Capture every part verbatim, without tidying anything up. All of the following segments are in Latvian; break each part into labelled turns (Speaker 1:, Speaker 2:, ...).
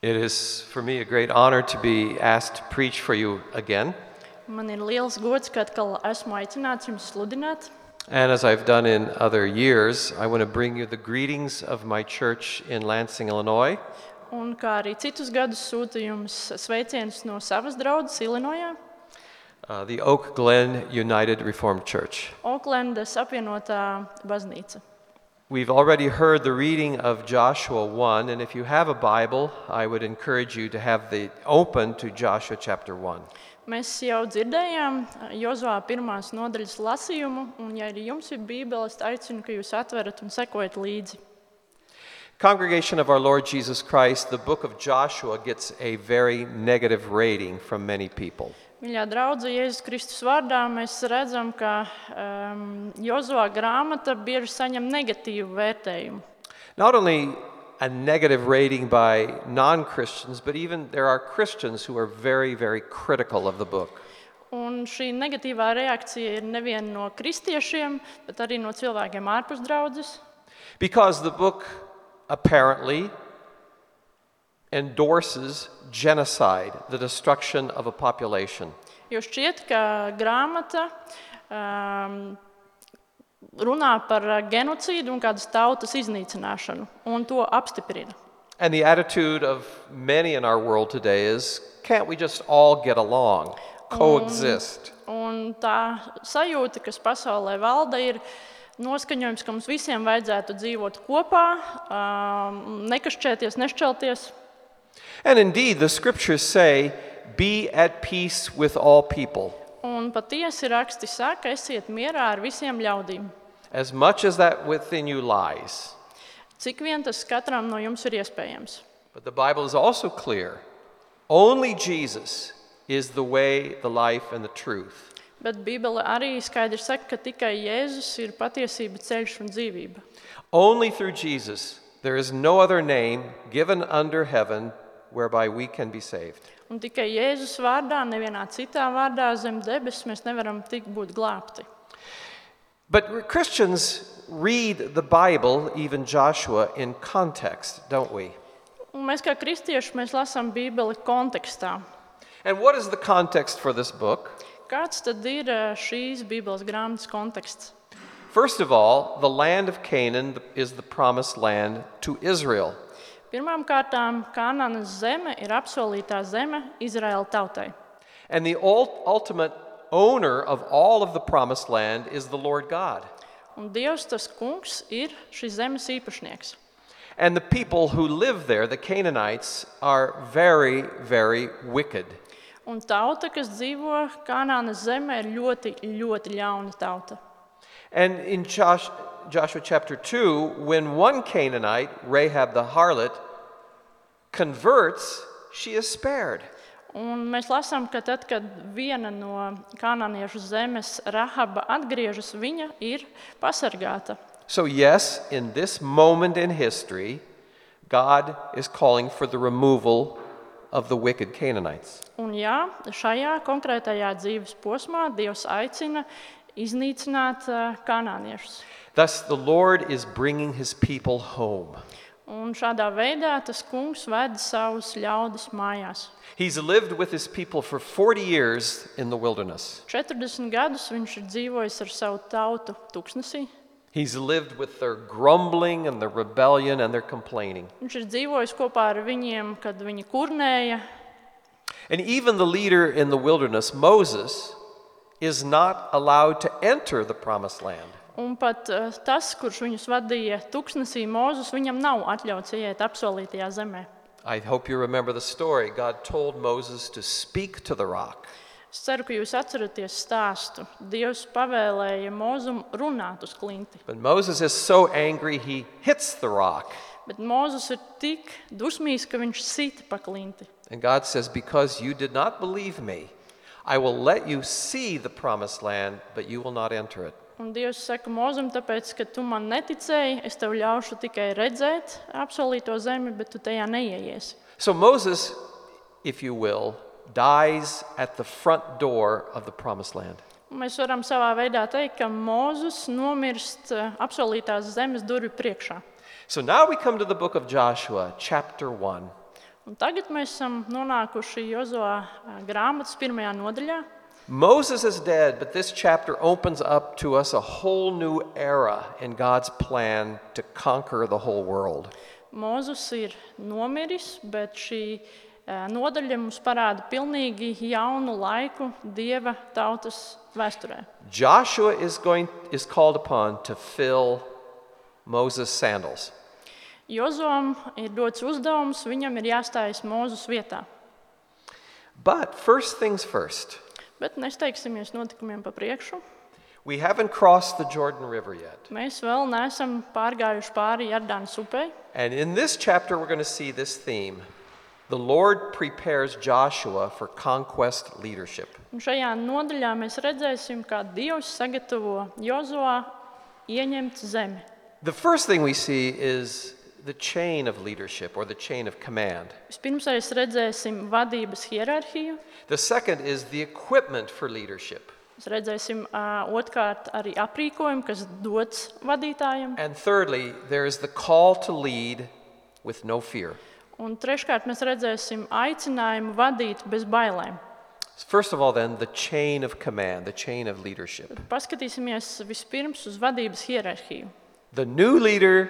Speaker 1: It is for me a great honor to be asked to preach for you again.
Speaker 2: Man ir liels gods, ka atkal esmu aicināts jums sludināt.
Speaker 1: And as I've done in other years, I want to bring you the greetings of my church in Lansing, Illinois.
Speaker 2: Un kā arī citus gadus sūtu jums sveicienus no savas draudzes Ilinojā,
Speaker 1: Uh, the Oak Glen United Reformed Church.
Speaker 2: Oklendas apvienotā baznīca.
Speaker 1: We've already heard the reading of Joshua one, and if you have a Bible, I would encourage you to have the open to Joshua chapter one.
Speaker 2: Mēs jau dzirdējām Jozuā pirmās nodaļas lasījumu, un ja arī jums ir Bībele, es aicinu, ka jūs atverat un sekojat līdzi.
Speaker 1: Congregation of our Lord Jesus Christ, the book of Joshua gets a very negative rating from many people.
Speaker 2: Mīļā draudze, Jēzus Kristus vārdā mēs redzam, ka um, Jozuā grāmata bieži saņem negatīvu vērtējumu.
Speaker 1: Not only a negative rating by non-Christians, but even there are Christians who are very, very critical of the book.
Speaker 2: Un šī negatīvā reakcija ir nevien no kristiešiem, bet arī no cilvēkiem ārpus draudzes.
Speaker 1: Because the book apparently endorses genocide, the destruction of a population.
Speaker 2: Jo šķiet, ka grāmata um, runā par genocīdu un kādas tautas iznīcināšanu, un to apstiprina.
Speaker 1: And the attitude of many in our world today is, can't we just all get along, coexist?
Speaker 2: Un tā sajūta, kas pasaulē valda, ir noskaņojums, ka mums visiem vajadzētu dzīvot kopā, um, nekašķēties, nešķelties.
Speaker 1: And indeed, the scriptures say, be at peace with all people.
Speaker 2: Un patiesi raksti saka, esiet mierā ar visiem ļaudīm.
Speaker 1: As much as that within you lies.
Speaker 2: Cik vien tas katram no jums ir iespējams.
Speaker 1: But the Bible is also clear. Only Jesus is the way, the life, and the truth.
Speaker 2: Bet Bībele arī skaidri saka, ka tikai Jēzus ir patiesība, ceļš un dzīvība.
Speaker 1: Only through Jesus there is no other name given under heaven whereby we can be saved.
Speaker 2: Un tikai Jēzus vārdā, nevienā citā vārdā zem debes mēs nevaram tik būt glābti.
Speaker 1: But Christians read the Bible, even Joshua, in context, don't we?
Speaker 2: Un mēs kā kristieši mēs lasām Bībeli kontekstā.
Speaker 1: And what is the context for this book?
Speaker 2: Kāds tad ir šīs Bībeles grāmatas konteksts?
Speaker 1: First of all, the land of Canaan is the promised land to Israel.
Speaker 2: Pirmām kārtām, Kanānas zeme ir apsolītā zeme Izraēla tautai.
Speaker 1: And the ultimate owner of all of the promised land is the Lord God.
Speaker 2: Un Dievs, tas kungs, ir šīs zemes īpašnieks.
Speaker 1: And the people who live there, the Canaanites, are very, very wicked.
Speaker 2: Un tauta, kas dzīvo Kanānas zemē, ir ļoti, ļoti ļauna tauta.
Speaker 1: And in Josh, Joshua chapter two, when one Canaanite, Rahab the harlot, converts, she is spared.
Speaker 2: Un mēs lasām, ka tad, kad viena no kanāniešu zemes Rahaba atgriežas, viņa ir pasargāta.
Speaker 1: So yes, in this moment in history, God is calling for the removal of the wicked Canaanites.
Speaker 2: Un jā, šajā konkrētajā dzīves posmā Dievs aicina iznīcināt uh, kanāniešus.
Speaker 1: Thus the Lord is bringing his people home.
Speaker 2: Un šādā veidā tas kungs ved savus ļaudis mājās.
Speaker 1: He's lived with his people for forty years in the wilderness.
Speaker 2: četrdesmit gadus viņš ir dzīvojis ar savu tautu tuksnesī.
Speaker 1: He's lived with their grumbling and their rebellion and their complaining.
Speaker 2: Viņš ir dzīvojis kopā ar viņiem, kad viņi kurnēja.
Speaker 1: And even the leader in the wilderness, Moses, is not allowed to enter the promised land.
Speaker 2: Un pat uh, tas, kurš viņus vadīja tuksnesī, Mūzes, viņam nav atļauts ieiet apsolītajā zemē.
Speaker 1: I hope you remember the story. God told Moses to speak to the rock.
Speaker 2: Es ceru, ka jūs atceraties stāstu. Dievs pavēlēja Mūzum runāt uz klinti.
Speaker 1: But Moses is so angry he hits the rock.
Speaker 2: Bet Mūzes ir tik dusmīgs, ka viņš sita pa klinti.
Speaker 1: And God says, because you did not believe me, I will let you see the promised land, but you will not enter it.
Speaker 2: Un Dievs saka Mūzum, tāpēc, ka tu man neticēji, es tev ļaušu tikai redzēt apsolīto zemi, bet tu tajā neieiesi.
Speaker 1: So Moses, if you will, dies at the front door of the promised land.
Speaker 2: Un mēs varam savā veidā teikt, ka Mūzes nomirst apsolītās zemes durvju priekšā.
Speaker 1: So now we come to the book of Joshua, chapter one.
Speaker 2: Un tagad mēs esam nonākuši Jozuā grāmatas pirmajā nodaļā.
Speaker 1: Moses is dead, but this chapter opens up to us a whole new era in God's plan to conquer the whole world.
Speaker 2: Mozus ir nomiris, bet šī eh, nodaļa mums parāda pilnīgi jaunu laiku Dieva tautas vēsturē.
Speaker 1: Joshua is going is called upon to fill Moses' sandals.
Speaker 2: Jozuam ir dots uzdevums, viņam ir jāstājas Mozus vietā.
Speaker 1: But first things first.
Speaker 2: Bet nesteigsimies notikumiem pa priekšu.
Speaker 1: We haven't crossed the Jordan River yet.
Speaker 2: Mēs vēl neesam pārgājuši pāri Jordānas upei.
Speaker 1: And in this chapter, we're going to see this theme. The Lord prepares Joshua for conquest leadership.
Speaker 2: Un šajā nodaļā mēs redzēsim, kā Dievs sagatavo Jozuā ieņemt zemi.
Speaker 1: The first thing we see is the chain of leadership or the chain of command.
Speaker 2: Vispirms mēs redzēsim vadības hierarhiju.
Speaker 1: The second is the equipment for leadership.
Speaker 2: Mēs redzēsim uh, otrkārt arī aprīkojumu, kas dots vadītājiem.
Speaker 1: And thirdly, there is the call to lead with no fear.
Speaker 2: Un treškārt mēs redzēsim aicinājumu vadīt bez bailēm.
Speaker 1: First of all, then, the chain of command, the chain of leadership.
Speaker 2: Paskatīsimies vispirms uz vadības hierarhiju.
Speaker 1: The new leader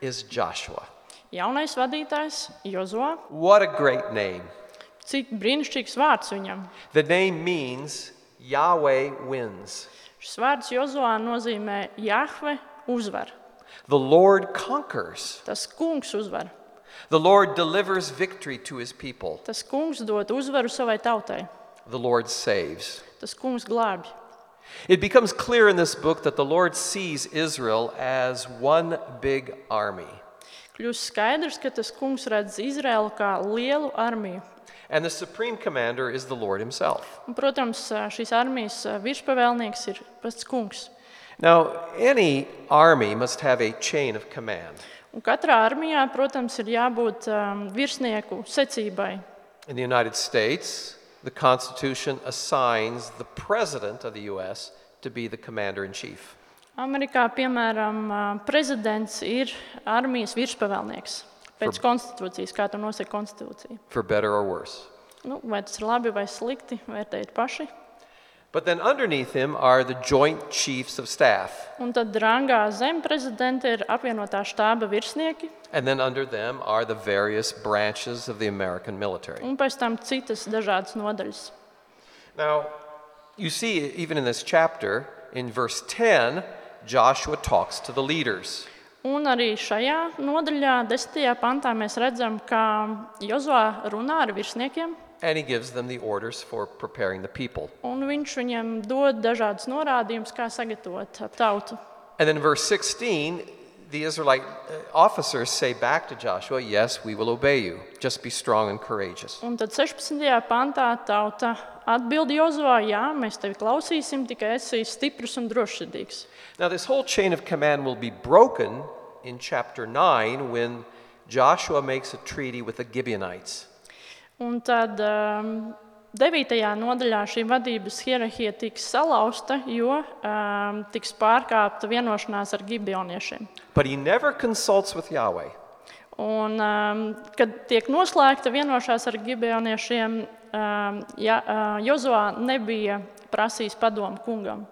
Speaker 1: is Joshua.
Speaker 2: Jaunais vadītājs Jozuā.
Speaker 1: What a great name.
Speaker 2: Cik brīnišķīgs vārds viņam.
Speaker 1: The name means Yahweh wins.
Speaker 2: Šis vārds Jozuā nozīmē Jahve uzvar.
Speaker 1: The Lord conquers.
Speaker 2: Tas kungs uzvar.
Speaker 1: The Lord delivers victory to his people.
Speaker 2: Tas kungs dod uzvaru savai tautai.
Speaker 1: The Lord saves.
Speaker 2: Tas kungs glābj.
Speaker 1: It becomes clear in this book that the Lord sees Israel as one big army.
Speaker 2: Kļūst skaidrs, ka tas kungs redz Izraēlu kā lielu armiju.
Speaker 1: And the supreme commander is the Lord himself.
Speaker 2: Un, protams, šīs armijas virspavēlnieks ir pats kungs.
Speaker 1: Now, any army must have a chain of command.
Speaker 2: Un katrā armijā, protams, ir jābūt um, virsnieku secībai.
Speaker 1: In the United States, the Constitution assigns the president of the U S to be the commander-in-chief.
Speaker 2: Amerikā, piemēram, uh, prezidents ir armijas virspavēlnieks pēc konstitūcijas, kā to nosaka konstitūcija.
Speaker 1: For better or worse.
Speaker 2: Nu, vai tas ir labi vai slikti, vērtējiet paši.
Speaker 1: But then underneath him are the joint chiefs of staff.
Speaker 2: Un tad rangā zem prezidenta ir apvienotā štāba virsnieki,
Speaker 1: And then under them are the various branches of the American military.
Speaker 2: un pēc tam citas dažādas nodaļas.
Speaker 1: Now, you see, even in this chapter, in verse ten, Joshua talks to the leaders.
Speaker 2: Un arī šajā nodaļā, desmitajā pantā, mēs redzam, ka Jozuā runā ar virsniekiem,
Speaker 1: And he gives them the orders for preparing the people.
Speaker 2: un viņš viņiem dod dažādas norādījumus, kā sagatavot tautu.
Speaker 1: And then in verse sixteen, the Israelite officers say back to Joshua, yes, we will obey you. Just be strong and courageous.
Speaker 2: Un tad sešpadsmitajā pantā tauta atbild Jozuā, jā, mēs tevi klausīsim, tikai esi stiprs un drošsirdīgs.
Speaker 1: Now, this whole chain of command will be broken in chapter nine when Joshua makes a treaty with the Gibeonites.
Speaker 2: Un tad um, devītajā nodaļā šī vadības hierarhija tiks salauzta, jo um, tiks pārkāpta vienošanās ar gibeoniešiem.
Speaker 1: But he never consults with Yahweh.
Speaker 2: Un, um, kad tiek noslēgta vienošanās ar gibeoniešiem, um, ja, uh, Jozuā nebija prasījis padomu kungam.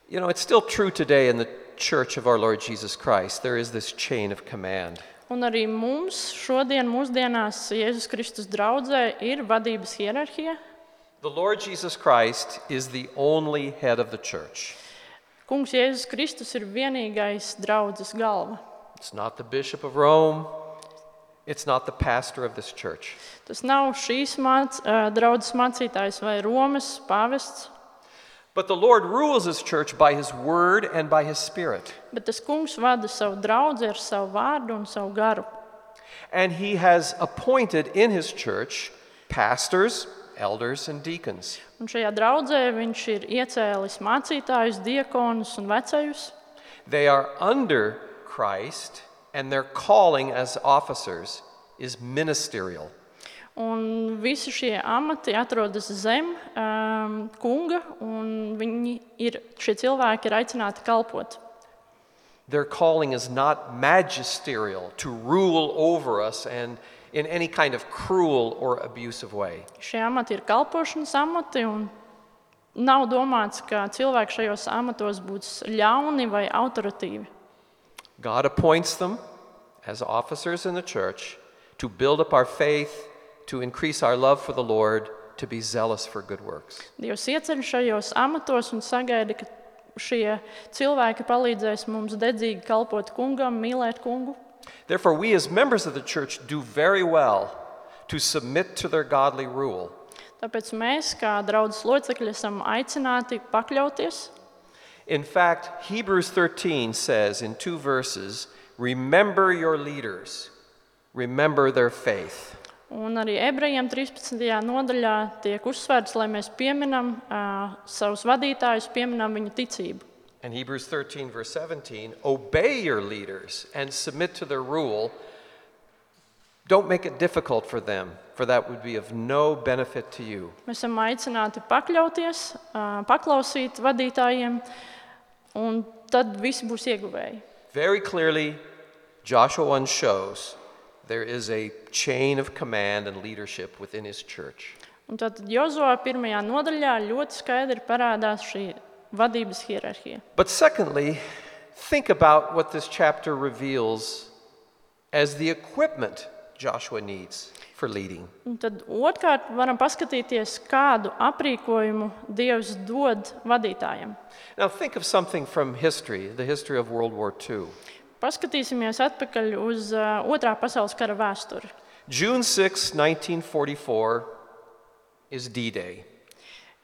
Speaker 1: You know, it's still true today in the church of our Lord Jesus Christ. There is this chain of command.
Speaker 2: Un arī mums šodien, mūsdienās, Jēzus Kristus draudzē ir vadības hierarhija.
Speaker 1: The Lord Jesus Christ is the only head of the church.
Speaker 2: Kungs Jēzus Kristus ir vienīgais draudzes galva.
Speaker 1: It's not the bishop of Rome. It's not the pastor of this church.
Speaker 2: Tas nav šīs māc, uh, draudzes mācītājs vai Romas pāvests,
Speaker 1: But the Lord rules his church by his word and by his spirit.
Speaker 2: bet tas kungs vada savu draudzi ar savu vārdu un savu garu.
Speaker 1: And he has appointed in his church pastors, elders, and deacons.
Speaker 2: Un šajā draudzē viņš ir iecēlis mācītājus, diekonus un vecajus.
Speaker 1: They are under Christ, and their calling as officers is ministerial.
Speaker 2: Un visi šie amati atrodas zem um, kunga, un viņi ir, šie cilvēki ir aicināti kalpot.
Speaker 1: Their calling is not magisterial, to rule over us and in any kind of cruel or abusive way.
Speaker 2: Šie amati ir kalpošanas amati, un nav domāts, ka cilvēki šajos amatos būs ļauni vai autoritīvi.
Speaker 1: God appoints them as officers in the church to build up our faith, to increase our love for the Lord, to be zealous for good works.
Speaker 2: Dievs ieceļ šajos amatos un sagaida, ka šie cilvēki palīdzēs mums dedzīgi kalpot kungam, mīlēt kungu.
Speaker 1: Therefore, we as members of the church do very well to submit to their godly rule.
Speaker 2: Tāpēc mēs, kā draudzes locekļi, esam aicināti pakļauties.
Speaker 1: In fact, Hebrews thirteen says in two verses, remember your leaders, remember their faith.
Speaker 2: Un arī ebrejiem trīspadsmitajā nodaļā tiek uzsvērts, lai mēs pieminam uh, savus vadītājus, pieminam viņu ticību.
Speaker 1: And Hebrews thirteen verse seventeen, obey your leaders and submit to their rule. Don't make it difficult for them, for that would be of no benefit to you.
Speaker 2: Mēs esam aicināti pakļauties, uh, paklausīt vadītājiem, un tad visi būs ieguvēji.
Speaker 1: Very clearly, Joshua one shows there is a chain of command and leadership within his church.
Speaker 2: Un tad Jozuā pirmajā nodaļā ļoti skaidri parādās šī vadības hierarhija.
Speaker 1: But secondly, think about what this chapter reveals as the equipment Joshua needs for leading.
Speaker 2: Un tad otrkārt varam paskatīties, kādu aprīkojumu Dievs dod vadītājiem.
Speaker 1: Now think of something from history, the history of World War Two.
Speaker 2: Paskatīsimies atpakaļ uz uh, Otrā pasaules kara vēsturi.
Speaker 1: June sixth, nineteen forty-four is D-Day.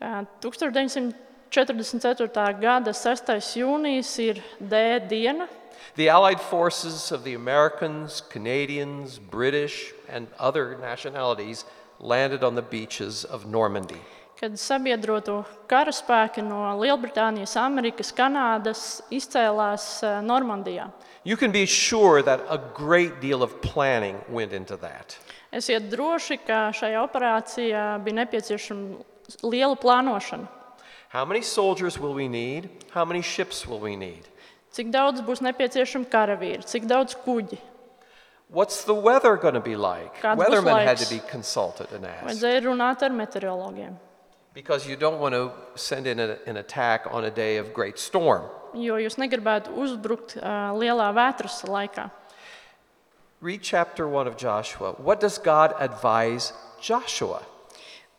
Speaker 2: Uh, tukstur deviņsimt četrdesmit ceturtā gada sestais jūnijas ir D diena.
Speaker 1: The Allied forces of the Americans, Canadians, British, and other nationalities landed on the beaches of Normandy.
Speaker 2: Kad sabiedroto karaspēki no Lielbritānijas, Amerikas, Kanādas izcēlās uh, Normandijā.
Speaker 1: You can be sure that a great deal of planning went into that.
Speaker 2: Esiet droši, ka šajā operācijā bija nepieciešama liela plānošana.
Speaker 1: How many soldiers will we need? How many ships will we need?
Speaker 2: Cik daudz būs nepieciešama karavīri, cik daudz kuģi.
Speaker 1: What's the weather going to be like?
Speaker 2: Kāds būs
Speaker 1: Weathermen had
Speaker 2: laiks?
Speaker 1: to be consulted and asked.
Speaker 2: Vajadzēja runāt ar meteorologiem,
Speaker 1: Because you don't want to send in a, an attack on a day of great storm.
Speaker 2: jo jūs negribētu uzbrukt uh, lielā vētras laikā.
Speaker 1: Read chapter one of Joshua. What does God advise Joshua?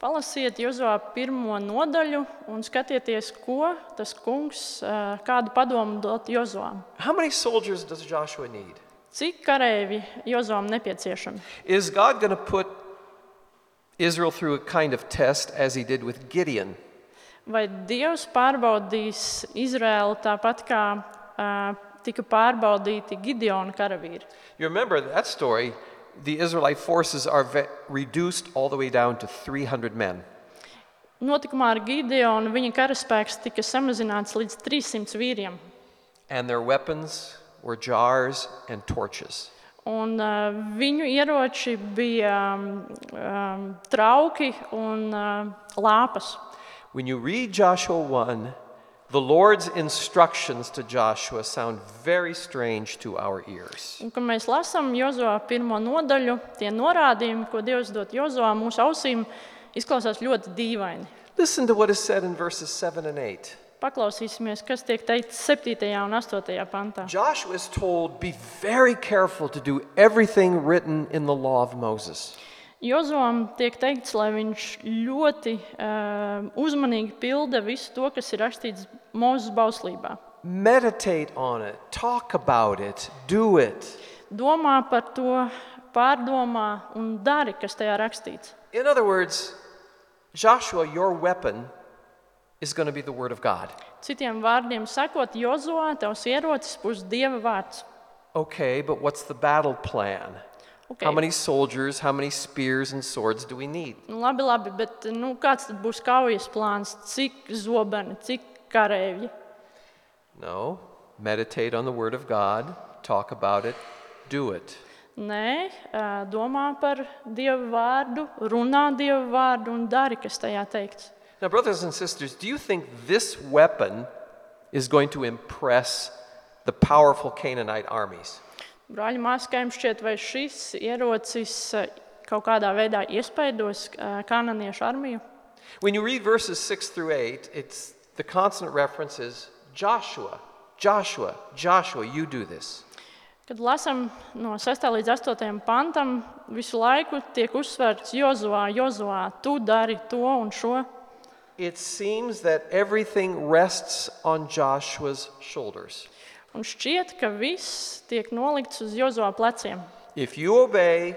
Speaker 2: Palasiet Jozuā pirmo nodaļu un skatieties, ko tas kungs, uh, kādu padomu dot Jozuām.
Speaker 1: How many soldiers does Joshua need?
Speaker 2: Cik kareivi Jozuām nepieciešami?
Speaker 1: Is God going to put Israel through a kind of test as he did with Gideon?
Speaker 2: Vai Dievs pārbaudīs Izraēlu tāpat kā uh, tika pārbaudīti Gideona karavīri?
Speaker 1: You remember that story, the Israelite forces are ve- reduced all the way down to three hundred men.
Speaker 2: Notikumā ar Gideonu viņa karaspēks tika samazināts līdz trīssimts vīriem.
Speaker 1: And their weapons were jars and torches.
Speaker 2: Un uh, viņu ieroči bija um, um, trauki un uh, lāpas.
Speaker 1: When you read Joshua one, the Lord's instructions to Joshua sound very strange to our ears.
Speaker 2: Un, kad mēs lasām Jozuā pirmo nodaļu, tie norādījumi, ko Dievs dod Jozuā, mūsu ausīm izklausās ļoti dīvaini.
Speaker 1: Listen to what is said in verses seven and eight.
Speaker 2: Paklausīsimies, kas tiek teikts septītajā un astotajā pantā.
Speaker 1: Joshua is told, be very careful to do everything written in the law of Moses.
Speaker 2: Jozuām tiek teikts, lai viņš ļoti uh, uzmanīgi pilda visu to, kas ir rakstīts Mūzes bauslībā.
Speaker 1: Meditate on it, talk about it, do it.
Speaker 2: Domā par to, pārdomā un dari, kas tajā rakstīts.
Speaker 1: In other words, Joshua, your weapon is going to be the word of God.
Speaker 2: Citiem vārdiem sakot, Jozuā, tavs ierocis būs Dieva vārds.
Speaker 1: Okay, but what's the battle plan?
Speaker 2: Okay.
Speaker 1: How many soldiers, how many spears and swords do we need?
Speaker 2: Nu, labi, labi, bet nu, kāds tad būs kaujas plāns? Cik zobeni, cik kareivji?
Speaker 1: No, meditate on the word of God, talk about it, do it.
Speaker 2: Nē, ā, domā par Dieva vārdu, runā Dieva vārdu un dari, kas tajā teikts.
Speaker 1: Now, brothers and sisters, do you think this weapon is going to impress the powerful Canaanite armies?
Speaker 2: Brāļi, māsas, kā jums šķiet, vai šis ierocis eh, kaut kādā veidā iespaidos eh, kanāniešu armiju?
Speaker 1: When you read verses six through eight, it's the constant reference is Joshua, Joshua, Joshua, you do this.
Speaker 2: Kad lasām no sestā līdz astotajam pantam, visu laiku tiek uzsvērts Jozuā, Jozuā, tu dari to un šo.
Speaker 1: It seems that everything rests on Joshua's shoulders.
Speaker 2: Un šķiet, ka viss tiek nolikts uz Jozuā pleciem.
Speaker 1: If you obey,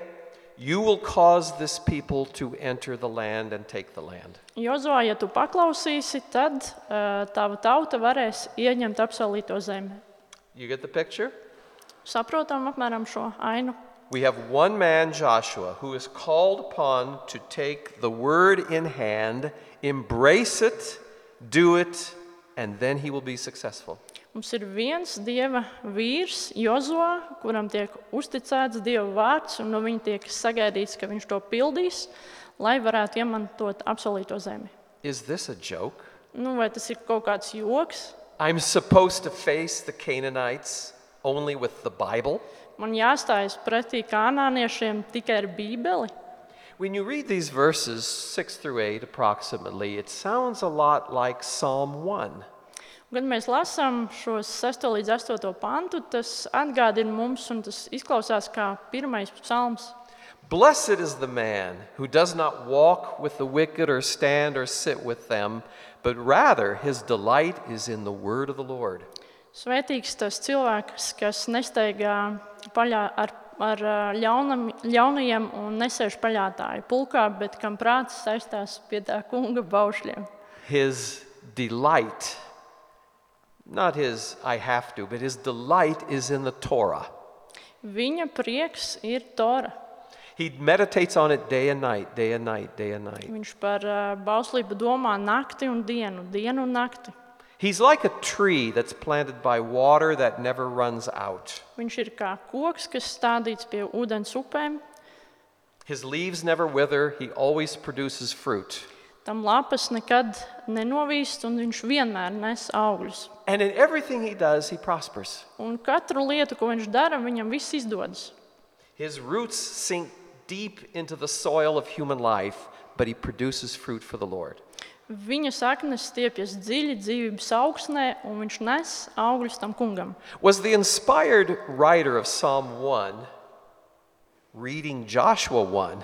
Speaker 1: you will cause this people to enter the land and take the land.
Speaker 2: Jozuā, ja tu paklausīsi, tad uh, tava tauta varēs ieņemt apsolīto zemi.
Speaker 1: You get the picture?
Speaker 2: Saprotam apmēram šo ainu.
Speaker 1: We have one man, Joshua, who is called upon to take the word in hand, embrace it, do it, and then he will be successful.
Speaker 2: Mums ir viens Dieva vīrs, Jozuā, kuram tiek uzticēts Dieva vārds, un no viņa tiek sagaidīts, ka viņš to pildīs, lai varētu iemantot apsolīto zemi.
Speaker 1: Is this a joke?
Speaker 2: Nu, vai tas ir kaut kāds joks?
Speaker 1: I'm supposed to face the Canaanites only with the Bible?
Speaker 2: Man jāstājas pretī kanāniešiem tikai ar Bībeli?
Speaker 1: When you read these verses, six through eight approximately, it sounds a lot like Psalm one.
Speaker 2: Kad mēs lasām šos sesto līdz astoto pantu, tas atgādina mums, un tas izklausās kā pirmais psalms.
Speaker 1: Blessed is the man who does not walk with the wicked or stand or sit with them, but rather his delight is in the word of the Lord.
Speaker 2: Svētīgs tas cilvēks, kas nesteigā paļā ar, ar ļaunam, ļaunajiem un nesēž paļātāju pulkā, bet kam prāts saistās pie tā kunga baušļiem.
Speaker 1: His delight, not his I have to, but his delight is in the Torah.
Speaker 2: Viņa prieks ir Tora.
Speaker 1: He meditates on it day and night, day and night, day and night.
Speaker 2: Viņš par uh, bauslību domā nakti un dienu, dienu un nakti.
Speaker 1: He's like a tree that's planted by water that never runs out.
Speaker 2: Viņš ir kā koks, kas stādīts pie ūdens upēm.
Speaker 1: His leaves never wither, he always produces fruit.
Speaker 2: Tam lapas nekad nenovīst, un viņš vienmēr nes augļus.
Speaker 1: And in everything he does, he prospers.
Speaker 2: Un katru lietu, ko viņš dara, viņam viss izdodas.
Speaker 1: His roots sink deep into the soil of human life, but he produces fruit for the Lord.
Speaker 2: Viņa saknes stiepjas dziļi dzīvības augsnē, un viņš nes augļus tam kungam.
Speaker 1: Was the inspired writer of Psalm one reading Joshua one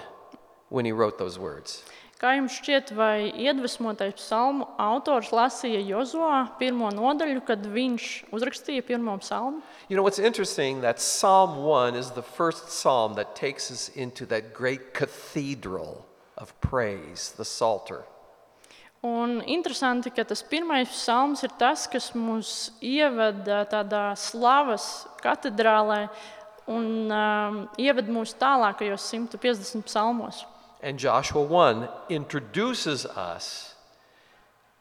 Speaker 1: when he wrote those words?
Speaker 2: Kā jums šķiet, vai iedvesmotais psalmu autors lasīja Jozuā pirmo nodaļu, kad viņš uzrakstīja pirmo psalmu?
Speaker 1: You know, what's interesting that Psalm one is the first psalm that takes us into that great cathedral of praise, the Psalter.
Speaker 2: Un interesanti, ka tas pirmais psalms ir tas, kas mūs ieveda tādā slavas katedrālē un um, ieved mūs tālākajos simt piecdesmit psalmos.
Speaker 1: And Joshua one introduces us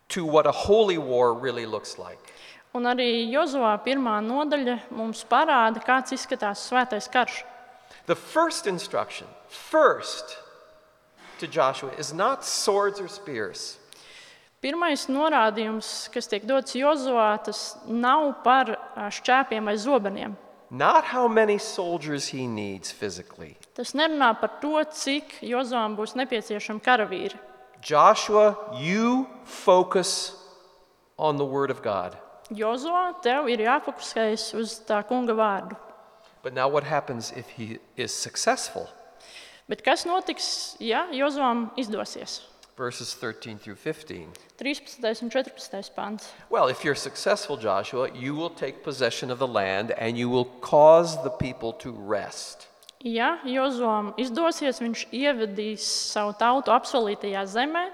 Speaker 1: to what a holy war really looks like.
Speaker 2: Un arī Jozuā pirmā nodaļa mums parāda, kāds izskatās svētais karš.
Speaker 1: The first instruction, first to Joshua, is not swords or spears.
Speaker 2: Pirmais norādījums, kas tiek dots Jozuā, tas nav par šķēpiem vai zobeniem.
Speaker 1: Not how many soldiers he needs physically.
Speaker 2: Tas nerunā par to, cik Jozuām būs nepieciešami karavīri.
Speaker 1: Joshua, you focus on the word of God.
Speaker 2: Jozuā, tev ir jāfokusējas uz tā kunga vārdu.
Speaker 1: But now what happens if he is successful?
Speaker 2: Bet kas notiks, ja Jozuām izdosies?
Speaker 1: Verses thirteen through fifteen.
Speaker 2: trīspadsmitais un četrpadsmitais pants.
Speaker 1: Well, if you're successful, Joshua, you will take possession of the land and you will cause the people to rest.
Speaker 2: Ja Jozuām izdosies, viņš ievedīs savu tautu apsolītajā zemē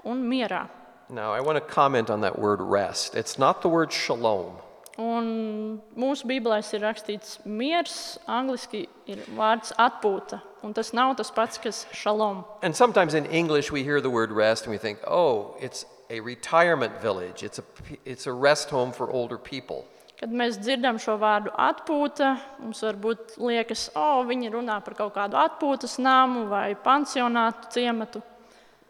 Speaker 2: un mierā.
Speaker 1: Now, I want to comment on that word rest. It's not the word shalom.
Speaker 2: Un mūsu Bībelēs ir rakstīts miers, angliski ir vārds atpūta, un tas nav tas pats, kas šalom.
Speaker 1: And sometimes in English we hear the word rest and we think, oh, it's a retirement village. It's a, it's a rest home for older people.
Speaker 2: Kad mēs dzirdam šo vārdu atpūta, mums varbūt liekas, o, oh, viņi runā par kaut kādu atpūtas namu vai pansionātu ciematu.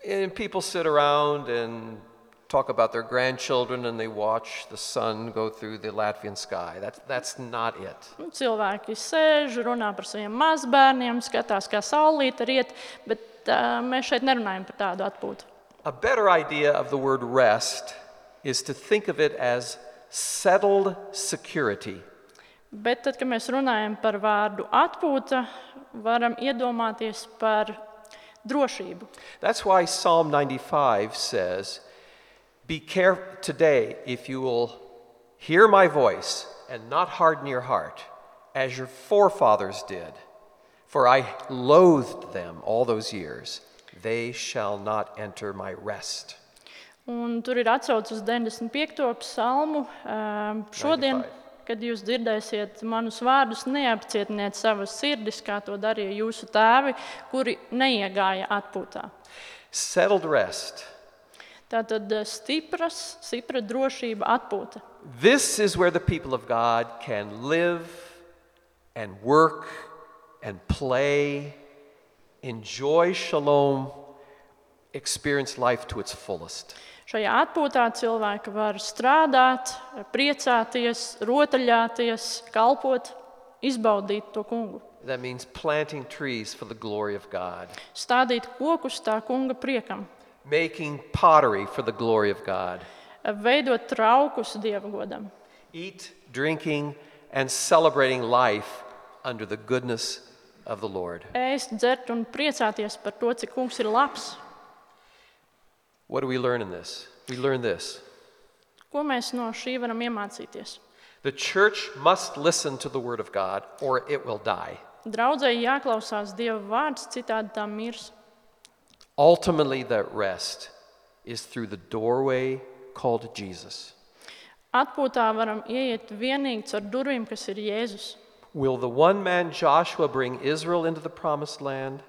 Speaker 1: And people sit around and talk about their grandchildren and they watch the sun go through the Latvian sky. That's, that's not it.
Speaker 2: Nu, cilvēki sēž, runā par saviem mazbērniem, skatās, kā saulīte riet, bet uh, mēs šeit nerunājam par tādu atpūtu.
Speaker 1: A better idea of the word rest is to think of it as settled security.
Speaker 2: Bet tad, kad mēs runājam par vārdu atpūta, varam iedomāties par drošību.
Speaker 1: That's why Psalm ninety-five says, "Be careful today if you will hear my voice and not harden your heart, as your forefathers did. For I loathed them all those years. They shall not enter my rest."
Speaker 2: Un tur ir atsauce uz deviņdesmit piekto psalmu. Um, šodien,
Speaker 1: ninety-five.
Speaker 2: kad jūs dzirdēsiet manus vārdus, neapcietiniet savas sirdis, kā to darīja jūsu tēvi, kuri neiegāja atpūtā.
Speaker 1: Settled rest.
Speaker 2: Tātad stipras, stipra drošība atpūta.
Speaker 1: This is where the people of God can live and work and play, enjoy shalom, experience life to its fullest.
Speaker 2: Šajā atpūtā cilvēki var strādāt, priecāties, rotaļāties, kalpot, izbaudīt to kungu.
Speaker 1: That means planting trees for the glory of God,
Speaker 2: Stādīt kokus tā kunga priekam,
Speaker 1: making pottery for the glory of God,
Speaker 2: veidot traukus Dieva godam,
Speaker 1: eat, drinking, and celebrating life under the goodness of the Lord.
Speaker 2: ēst, dzert un priecāties par to, cik kungs ir labs.
Speaker 1: What do we learn in this? We learn this.
Speaker 2: Ko mēs no šī varam iemācīties?
Speaker 1: The church must listen to the word of God or it will die.
Speaker 2: Draudzei jāklausās Dieva vārds, citādi tā mirs.
Speaker 1: Ultimately, that rest is through the doorway called Jesus.
Speaker 2: Atpūtā varam ieiet vienīgi caur durvīm, kas ir Jēzus.
Speaker 1: Will the one man Joshua bring Israel into the promised land?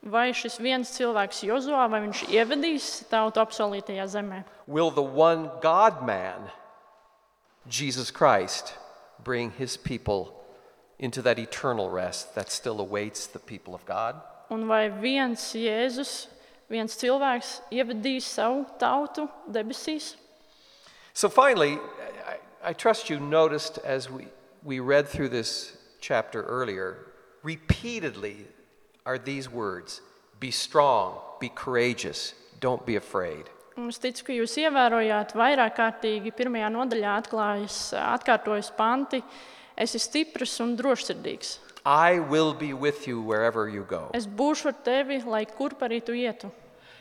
Speaker 2: Vai šis viens cilvēks Jozuā, vai viņš ievedīs tautu apsolītajā zemē?
Speaker 1: Will the one God man, Jesus Christ, bring his people into that eternal rest that still awaits the people of God?
Speaker 2: Un vai viens Jēzus, viens cilvēks ievedīs savu tautu debesīs?
Speaker 1: So finally, I, I trust you noticed as we, we read through this chapter earlier, repeatedly are these words: be strong, be courageous, don't be afraid.
Speaker 2: Un es ticu, ka jūs ievērojāt vairāk kārtīgi pirmajā nodaļā atklājas, atkārtojas panti: esi stiprs un drošsirdīgs.
Speaker 1: I will be with you wherever you go.
Speaker 2: Es būšu ar tevi, lai kurp arī tu ietu.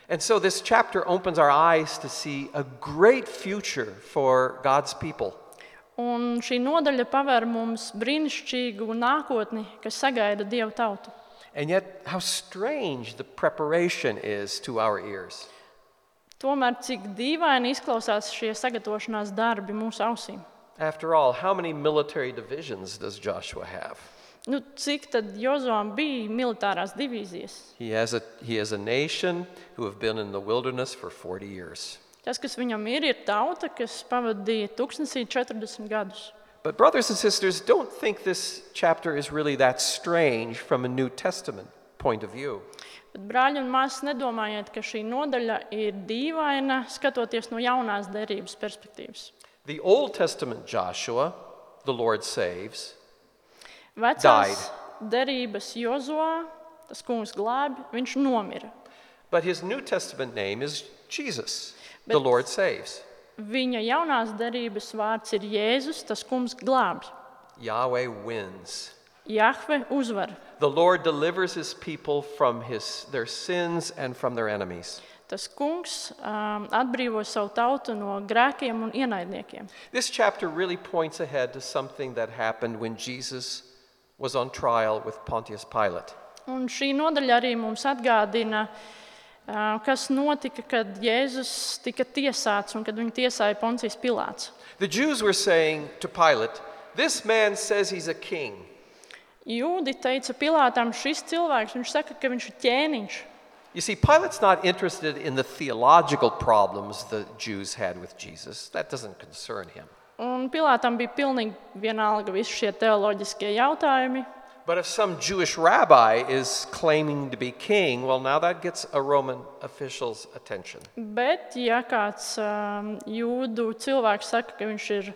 Speaker 1: And so this chapter opens our eyes to see a great future for God's people.
Speaker 2: Un šī nodaļa paver mums brīnišķīgu nākotni, kas sagaida Dieva tautu.
Speaker 1: And yet, how strange the preparation is to our ears.
Speaker 2: Tomēr cik dīvaini izklausās šie sagatavošanās darbi mūsu ausīm.
Speaker 1: After all, how many military divisions does Joshua have?
Speaker 2: Nu, cik tad Jozuām bija militārās divīzijas?
Speaker 1: He has a, he has a nation who have been in the wilderness for forty years.
Speaker 2: Tas, kas viņam ir, ir tauta, kas pavadīja tūkstnesī četrdesmit gadus.
Speaker 1: But brothers and sisters, don't think this chapter is really that strange from a New Testament point of view.
Speaker 2: Bet, brāļi un māsas, nedomājiet, ka šī nodaļa ir dīvaina, skatoties no jaunās derības perspektīvas.
Speaker 1: The Old Testament Joshua, the Lord saves,
Speaker 2: Vecās derības Jozuā, tas kungs glābi, viņš nomira.
Speaker 1: but his New Testament name is Jesus, the
Speaker 2: Bet-
Speaker 1: Lord saves.
Speaker 2: Viņa jaunās derības vārds ir Jēzus, tas kungs glābi.
Speaker 1: Yahweh wins.
Speaker 2: Jahve uzvar.
Speaker 1: The Lord delivers his people from his, their sins and from their enemies.
Speaker 2: Tas kungs um, atbrīvo savu tautu no grēkiem un ienaidniekiem.
Speaker 1: This chapter really points ahead to something that happened when Jesus was on trial with Pontius Pilate.
Speaker 2: Un šī nodaļa arī mums atgādina, uh, kas notika, kad Jēzus tika tiesāts un kad viņu tiesāja Poncijas Pilāts.
Speaker 1: The Jews were saying to Pilate, "This man says he's a king."
Speaker 2: Jūdi teica Pilātam, šis cilvēks, viņš saka, ka viņš ir ķēniņš.
Speaker 1: You see, Pilate's not interested in the theological problems the Jews had with Jesus. That doesn't concern him.
Speaker 2: Un Pilātam bija pilnīgi vienalga visi šie teoloģiskie jautājumi.
Speaker 1: But if some Jewish rabbi is claiming to be king, well, now that gets a Roman official's attention.
Speaker 2: Bet, ja kāds um, jūdu cilvēks saka, ka viņš ir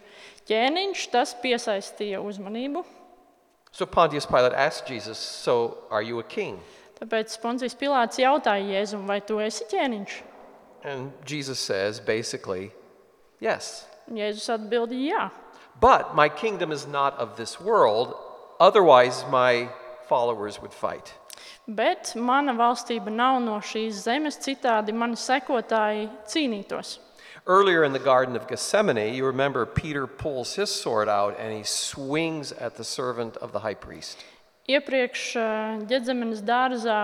Speaker 2: ķēniņš, tas piesaistīja uzmanību.
Speaker 1: So Pontius Pilate asked Jesus, so are you a king?
Speaker 2: Tāpēc Poncijas Pilāts jautāja Jēzum, vai tu esi ķēniņš?
Speaker 1: And Jesus says, basically, yes.
Speaker 2: Jēzus atbildīja, jā.
Speaker 1: But my kingdom is not of this world, otherwise my followers would fight.
Speaker 2: Bet mana valstība nav no šīs zemes, citādi mani sekotāji cīnītos.
Speaker 1: Earlier in the Garden of Gethsemane, you remember Peter pulls his sword out and he swings at the servant of the high priest.
Speaker 2: Iepriekš Ģedzemenes dārzā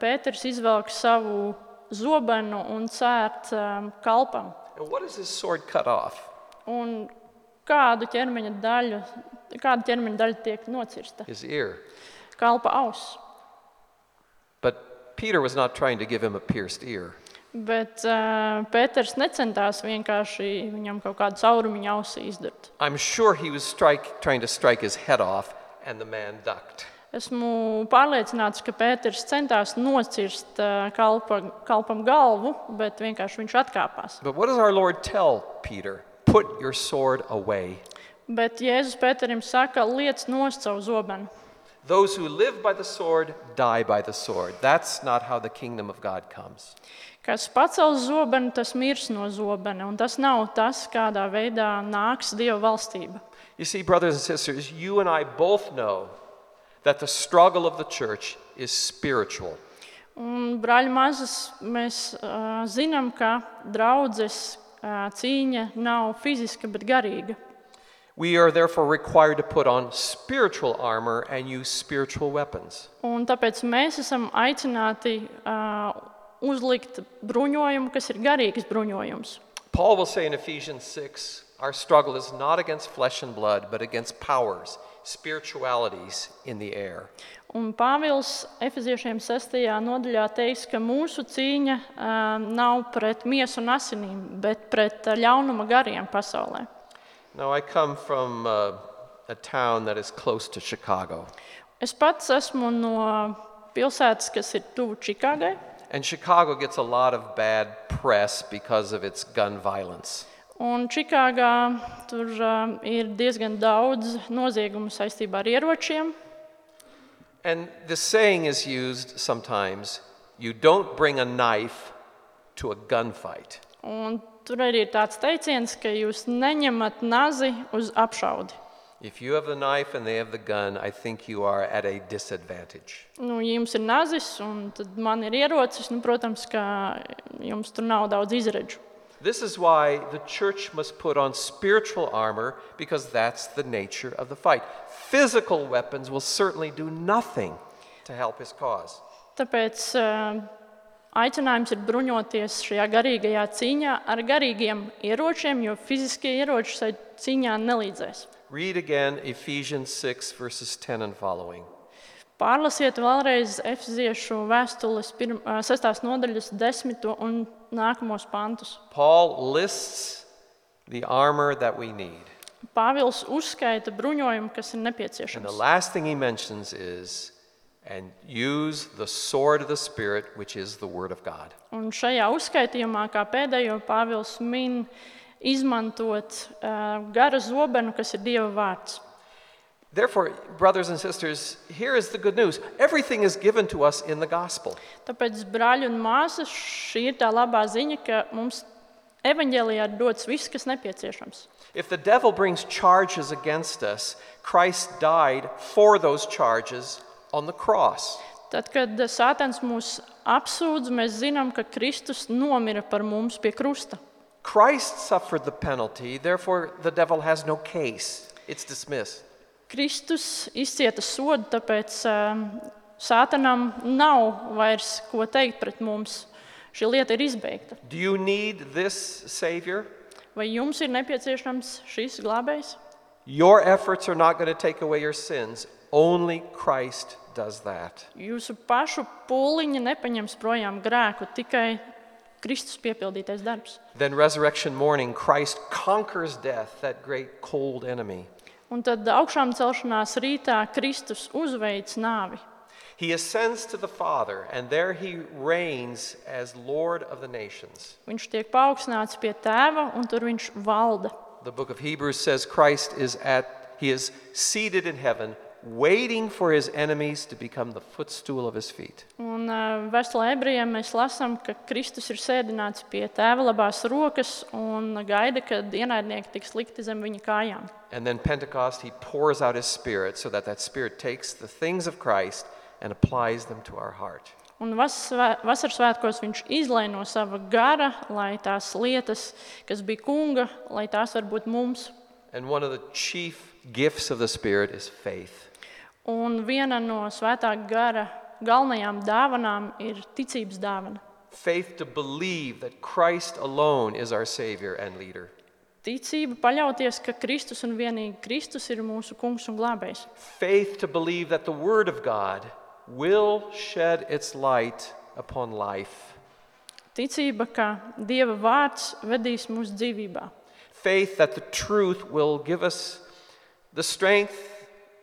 Speaker 2: Pēters izvelk savu zobenu un cērt kalpam.
Speaker 1: And what does his sword cut off?
Speaker 2: Un kādu ķermeņa daļu, kāda ķermeņa daļa tiek nocirsta?
Speaker 1: His ear.
Speaker 2: Kalpa auss.
Speaker 1: But Peter was not trying to give him a pierced ear.
Speaker 2: Bet uh, Pēters necentās vienkārši viņam kaut kādu caurumiņu ausī izdurt.
Speaker 1: I'm sure he was strike, trying to strike his head off, and the man ducked.
Speaker 2: Esmu pārliecināts, ka Pēters centās nocirst uh, kalpa, kalpam galvu, bet vienkārši viņš atkāpās.
Speaker 1: But what does our Lord tell Peter? Put your sword away.
Speaker 2: Bet Jēzus Pēterim saka, liec nost savu zobenu.
Speaker 1: Those who live by the sword die by the sword. That's not how the kingdom of God comes.
Speaker 2: Kas pacels zobenu, tas mirs no zobena, un tas nav tas, kādā veidā nāks Dieva valstība.
Speaker 1: You see, brothers and sisters, you and I both know that the struggle of the church is spiritual.
Speaker 2: Un, brāļi mazas, mēs uh, zinām, ka draudzes uh, cīņa nav fiziska, bet garīga.
Speaker 1: We are therefore required to put on spiritual armor and use spiritual weapons.
Speaker 2: Un tāpēc mēs esam aicināti uh, uzlikt bruņojumu, kas ir garīgs bruņojums.
Speaker 1: Paul will say in Ephesians six, our struggle is not against flesh and blood, but against powers, spiritualities in the air.
Speaker 2: Un Pāvils Efeziešiem sestajā nodaļā teiks, ka mūsu cīņa uh, nav pret miesu un asinīm, bet pret uh, ļaunuma gariem pasaulē.
Speaker 1: Now, I come from uh, a town that is close to Chicago.
Speaker 2: Es pats esmu no pilsētas, kas ir tuvu Čikāgai.
Speaker 1: And Chicago gets a lot of bad press because of its gun violence.
Speaker 2: Un Čikāgā tur uh, ir diezgan daudz noziegumu saistībā ar ieročiem.
Speaker 1: And the saying is used sometimes, you don't bring a knife to a gunfight.
Speaker 2: Un tur arī ir tāds teiciens, ka jūs neņemat nazi uz apšaudi.
Speaker 1: If you have the knife and they have the gun, I think you are at a disadvantage.
Speaker 2: Nu, ja jums ir nazis un tad man ir ierocis, nu, protams, ka jums tur nav daudz izredžu.
Speaker 1: This is why the church must put on spiritual armor, because that's the nature of the fight. Physical weapons will certainly do nothing to help his cause.
Speaker 2: Tāpēc uh, aicinājums ir bruņoties šajā garīgajā cīņā ar garīgiem ieročiem, jo fiziskie ieroči šai cīņā nelīdzēs.
Speaker 1: Read again Ephesians six, verses ten and following.
Speaker 2: Pārlasiet vēlreiz Efeziešu vēstules pirm, sestās nodaļas desmito un nākamos pantus.
Speaker 1: Paul lists the armor that we need.
Speaker 2: Pāvils uzskaita bruņojumu, kas ir
Speaker 1: And the
Speaker 2: nepieciešams.
Speaker 1: last thing he mentions is, and use the sword of the Spirit, which is the word of God.
Speaker 2: Un šajā uzskaitījumā, kā pēdējo, Pāvils min izmantot uh, gara zobenu, kas ir Dieva vārds.
Speaker 1: Therefore, brothers and sisters, here is the good news. Everything is given to us in the gospel.
Speaker 2: Tāpēc, brāļi un māsas, šī ir tā labā ziņa, ka mums evaņģēlijā ir dots viss, kas nepieciešams.
Speaker 1: If the devil brings charges against us, Christ died for those charges on the cross.
Speaker 2: Tad, kad Sātans mūs apsūdz, mēs zinām, ka Kristus nomira par mums pie krusta.
Speaker 1: Christ suffered the penalty, therefore the devil has no case. It's dismissed.
Speaker 2: Kristus izcieta sodu, tāpēc um, Sātanam nav vairs ko teikt pret mums. Šī lieta ir izbeigta.
Speaker 1: Do you need this Savior?
Speaker 2: Vai jums ir nepieciešams šis glābējs?
Speaker 1: Your efforts are not going to take away your sins. Only Christ does that.
Speaker 2: Jūsu pašu pūliņi nepaņems projām grēku, tikai Kristus piepildītais darbs.
Speaker 1: Then resurrection morning, Christ conquers death, that great cold enemy.
Speaker 2: Un tad augšām celšanās rītā Kristus uzveic nāvi.
Speaker 1: He ascends to the Father, and there he reigns as Lord of the nations.
Speaker 2: Viņš tiek paaugstināts pie tēva, un tur viņš valda.
Speaker 1: The book of Hebrews says Christ is at, he is seated in heaven, waiting for his enemies to become the footstool of his feet.
Speaker 2: Un uh, vēstulē ebrejiem mēs lasām, ka Kristus ir sēdināts pie tēva labās rokas un gaida, kad ienaidnieki tiks likti zem viņa kājām.
Speaker 1: And then Pentecost, he pours out his Spirit so that that Spirit takes the things of Christ and applies them to our heart.
Speaker 2: Un vas- vasaras svētkos viņš izlej no sava gara, lai tās lietas, kas bija kunga, lai tās var būt mums.
Speaker 1: And one of the chief gifts of the Spirit is faith.
Speaker 2: Un viena no svētā gara galvenajām dāvanām ir ticības dāvana.
Speaker 1: Faith to believe that Christ alone is our Savior and leader.
Speaker 2: Ticība paļauties, ka Kristus un vienīgi Kristus ir mūsu kungs un glābējs.
Speaker 1: Faith to believe that the Word of God will shed its light upon life.
Speaker 2: Ticība, ka Dieva vārds vedīs mūsu dzīvībā.
Speaker 1: Faith that the truth will give us the strength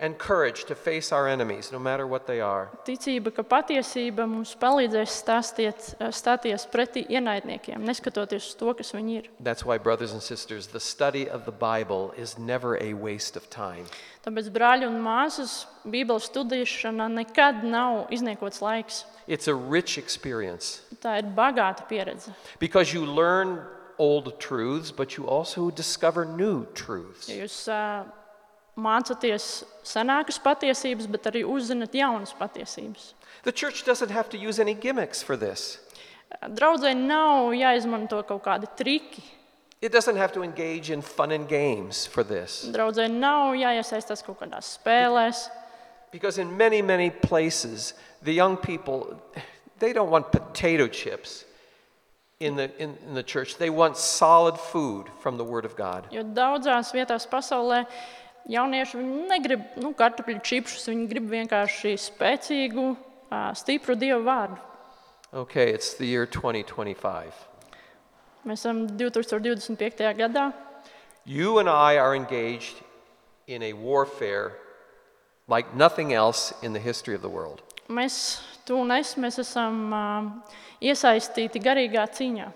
Speaker 1: and courage to face our enemies, no matter what they are.
Speaker 2: Ticība, ka patiesība mums palīdzēs stāstiet, stāties pretī ienaidniekiem, neskatoties uz to, kas viņi ir.
Speaker 1: That's why, brothers and sisters, the study of the Bible is never a waste of time.
Speaker 2: Tāpēc, brāļi un māsas, Bībeles studēšana nekad nav izniekots laiks.
Speaker 1: It's a rich experience
Speaker 2: Tā ir bagāta pieredze.
Speaker 1: because you learn old truths, but you also discover new truths.
Speaker 2: Ja jūs uh, mācāties senākas patiesības, bet arī uzzināt jaunas patiesības.
Speaker 1: The church doesn't have to use any gimmicks for this.
Speaker 2: Draudzē nav jāizmanto kaut kādi triki.
Speaker 1: It doesn't have to engage in fun and games for this.
Speaker 2: Draudzē nav jāiesaistās kaut kādās spēlēs.
Speaker 1: Because in many, many places, the young people, they don't want potato chips in the, in, in the church. They want solid food from the Word of God.
Speaker 2: Jo daudzās vietās pasaulē jaunieši viņi negrib nu, kartupeļu čipšus, viņi grib vienkārši spēcīgu, ā, stipru Dievu vārdu.
Speaker 1: Okay, it's the year twenty twenty-five.
Speaker 2: Mēs esam divtūkstoš divdesmit piektajā gadā.
Speaker 1: You and I are engaged in a warfare like nothing else in the history of the world.
Speaker 2: Mēs, tu un es, mēs esam uh, iesaistīti garīgā cīņā.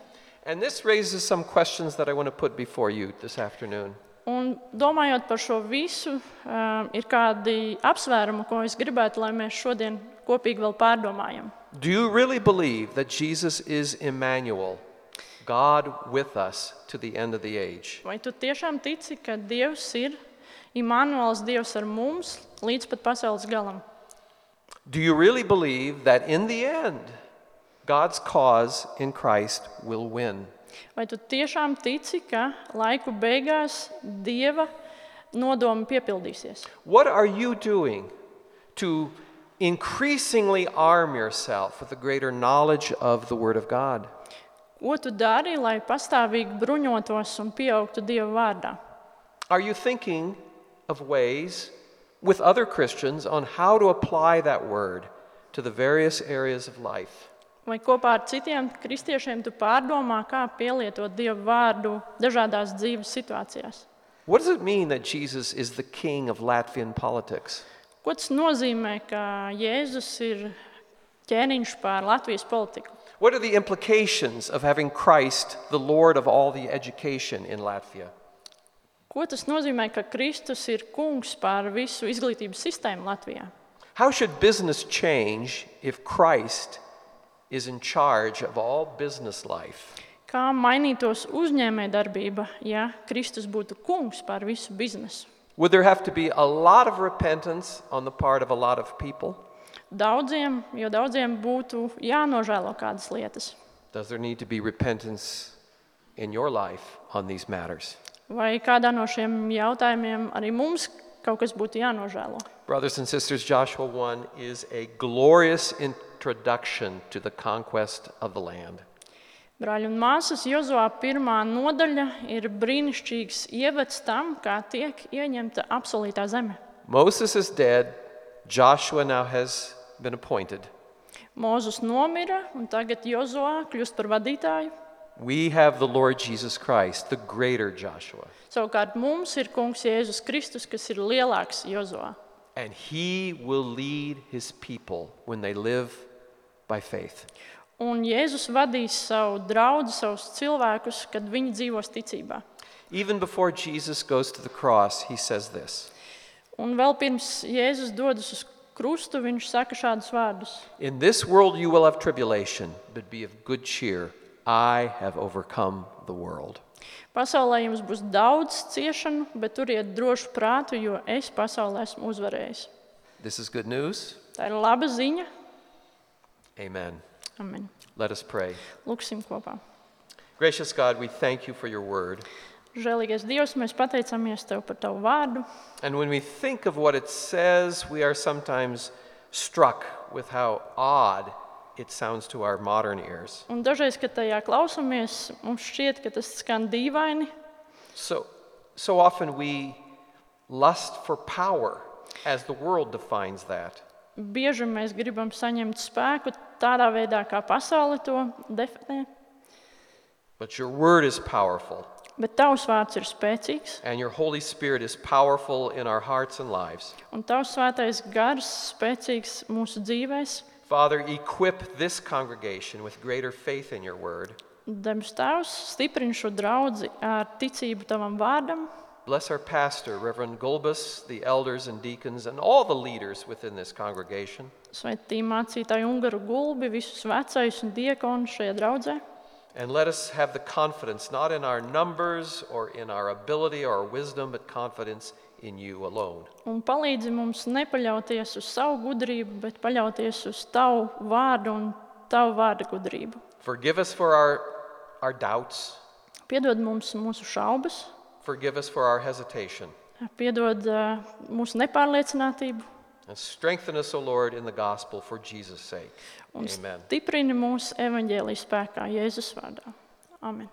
Speaker 1: And this raises some questions that I want to put before you this afternoon.
Speaker 2: Un domājot par šo visu, uh, ir kādi apsvērumi, ko es gribētu, lai mēs šodien kopīgi vēl pārdomājam.
Speaker 1: Do you really believe that Jesus is Emmanuel, God with us to the end of the age?
Speaker 2: Vai tu tiešām tici, ka Dievs ir Immanuels, Dievs ar mums līdz pat pasaules galam?
Speaker 1: Do you really believe that in the end, God's cause in Christ will win?
Speaker 2: Vai tu tiešām tici, ka laiku beigās Dieva nodomi piepildīsies?
Speaker 1: What are you doing to increasingly arm yourself with a greater knowledge of the Word of God?
Speaker 2: Ko tu dari, lai pastāvīgi bruņotos un pieaugtu Dieva vārdā?
Speaker 1: Are you thinking of ways with other Christians on how to apply that Word to the various areas of life?
Speaker 2: Vai kopā ar citiem kristiešiem tu pārdomā, kā pielietot Dieva vārdu dažādās dzīves situācijās?
Speaker 1: What does it mean that Jesus is the king of Latvian politics?
Speaker 2: Ko tas nozīmē, ka Jēzus ir ķēniņš pār Latvijas politiku?
Speaker 1: What are the implications of having Christ the Lord of all the education in Latvia?
Speaker 2: Ko tas nozīmē, ka Kristus ir kungs pār visu izglītības sistēmu Latvijā?
Speaker 1: How should business change if Christ is in charge of all business life?
Speaker 2: Kā mainītos uzņēmējdarbība, ja Kristus būtu kungs pār visu biznesu?
Speaker 1: Would there have to be a lot of repentance on the part of a lot of people?
Speaker 2: Daudziem, jo daudziem būtu jānožēlo kādas lietas.
Speaker 1: Does there need to be repentance in your life on these matters?
Speaker 2: Vai kādā no šiem jautājumiem arī mums kaut kas būtu jānožēlo?
Speaker 1: Brothers and sisters, Joshua one is a glorious introduction to the conquest of the land.
Speaker 2: Brāļi un māsas, Jozuā pirmā nodaļa ir brīnišķīgs ievads tam, kā tiek ieņemta apsolītā zeme.
Speaker 1: Moses is dead. Joshua now has been appointed.
Speaker 2: Mūzus nomira, un tagad Jozuā kļūst par vadītāju.
Speaker 1: We have the Lord Jesus Christ, the greater Joshua,
Speaker 2: Savukārt mums ir kungs Jēzus Kristus, kas ir lielāks Jozo.
Speaker 1: and he will lead his people when they live by faith.
Speaker 2: Un Jēzus vadīs savu draugu, savus cilvēkus, kad viņi dzīvos ticībā.
Speaker 1: Even before Jesus goes to the cross, he says this:
Speaker 2: Un vēl pirms Jēzus dodas uz krustu, viņš saka šādus vārdus.
Speaker 1: In this world you will have tribulation, but be of good cheer. I have overcome the world.
Speaker 2: Pasaulē jums būs daudz ciešanu, bet turiet drošu prātu, jo es pasaulē esmu uzvarējis.
Speaker 1: This is good news.
Speaker 2: Tā ir laba ziņa.
Speaker 1: Amen.
Speaker 2: Amen.
Speaker 1: Let us pray.
Speaker 2: Lūksim kopā.
Speaker 1: Gracious God, we thank you for your word.
Speaker 2: Žēlīgais Dievs, mēs pateicamies Tev par Tavu vārdu.
Speaker 1: And when we think of what it says, we are sometimes struck with how odd it sounds to our modern ears.
Speaker 2: Un dažreiz, kad tajā klausamies, mums šķiet, ka tas skan dīvaini.
Speaker 1: So, so often we lust for power as the world defines that.
Speaker 2: Bieži mēs gribam saņemt spēku tādā veidā, kā pasaule to definē.
Speaker 1: But your word is powerful,
Speaker 2: Bet Tavs vārds ir spēcīgs,
Speaker 1: and your Holy Spirit is powerful in our hearts and lives.
Speaker 2: un Tavs svētais gars spēcīgs mūsu dzīvēs.
Speaker 1: Father, equip this congregation with greater faith in your word.
Speaker 2: Debes Tēvs, stiprini šo draudzi ar ticību Tavam vārdam.
Speaker 1: Bless our pastor, Reverend Gulbis, the elders and deacons, and all the leaders within this congregation.
Speaker 2: Svētī mācītāju Ungaru Gulbi, visus vecajus un diekonus šajā draudzē.
Speaker 1: And let us have the confidence, not in our numbers or in our ability or our wisdom, but confidence in you alone.
Speaker 2: Un palīdzi mums nepaļauties uz savu gudrību, bet paļauties uz Tavu vārdu un Tavu vārda gudrību.
Speaker 1: Forgive us for our, our doubts.
Speaker 2: Piedod mums mūsu šaubas,
Speaker 1: Forgive us for our hesitation.
Speaker 2: piedod uh, mūsu nepārliecinātību
Speaker 1: And strengthen us, O Lord, in the gospel for Jesus' sake.
Speaker 2: un
Speaker 1: Amen.
Speaker 2: stiprini mūsu evaņģēlijas spēkā Jēzus vārdā. Amen.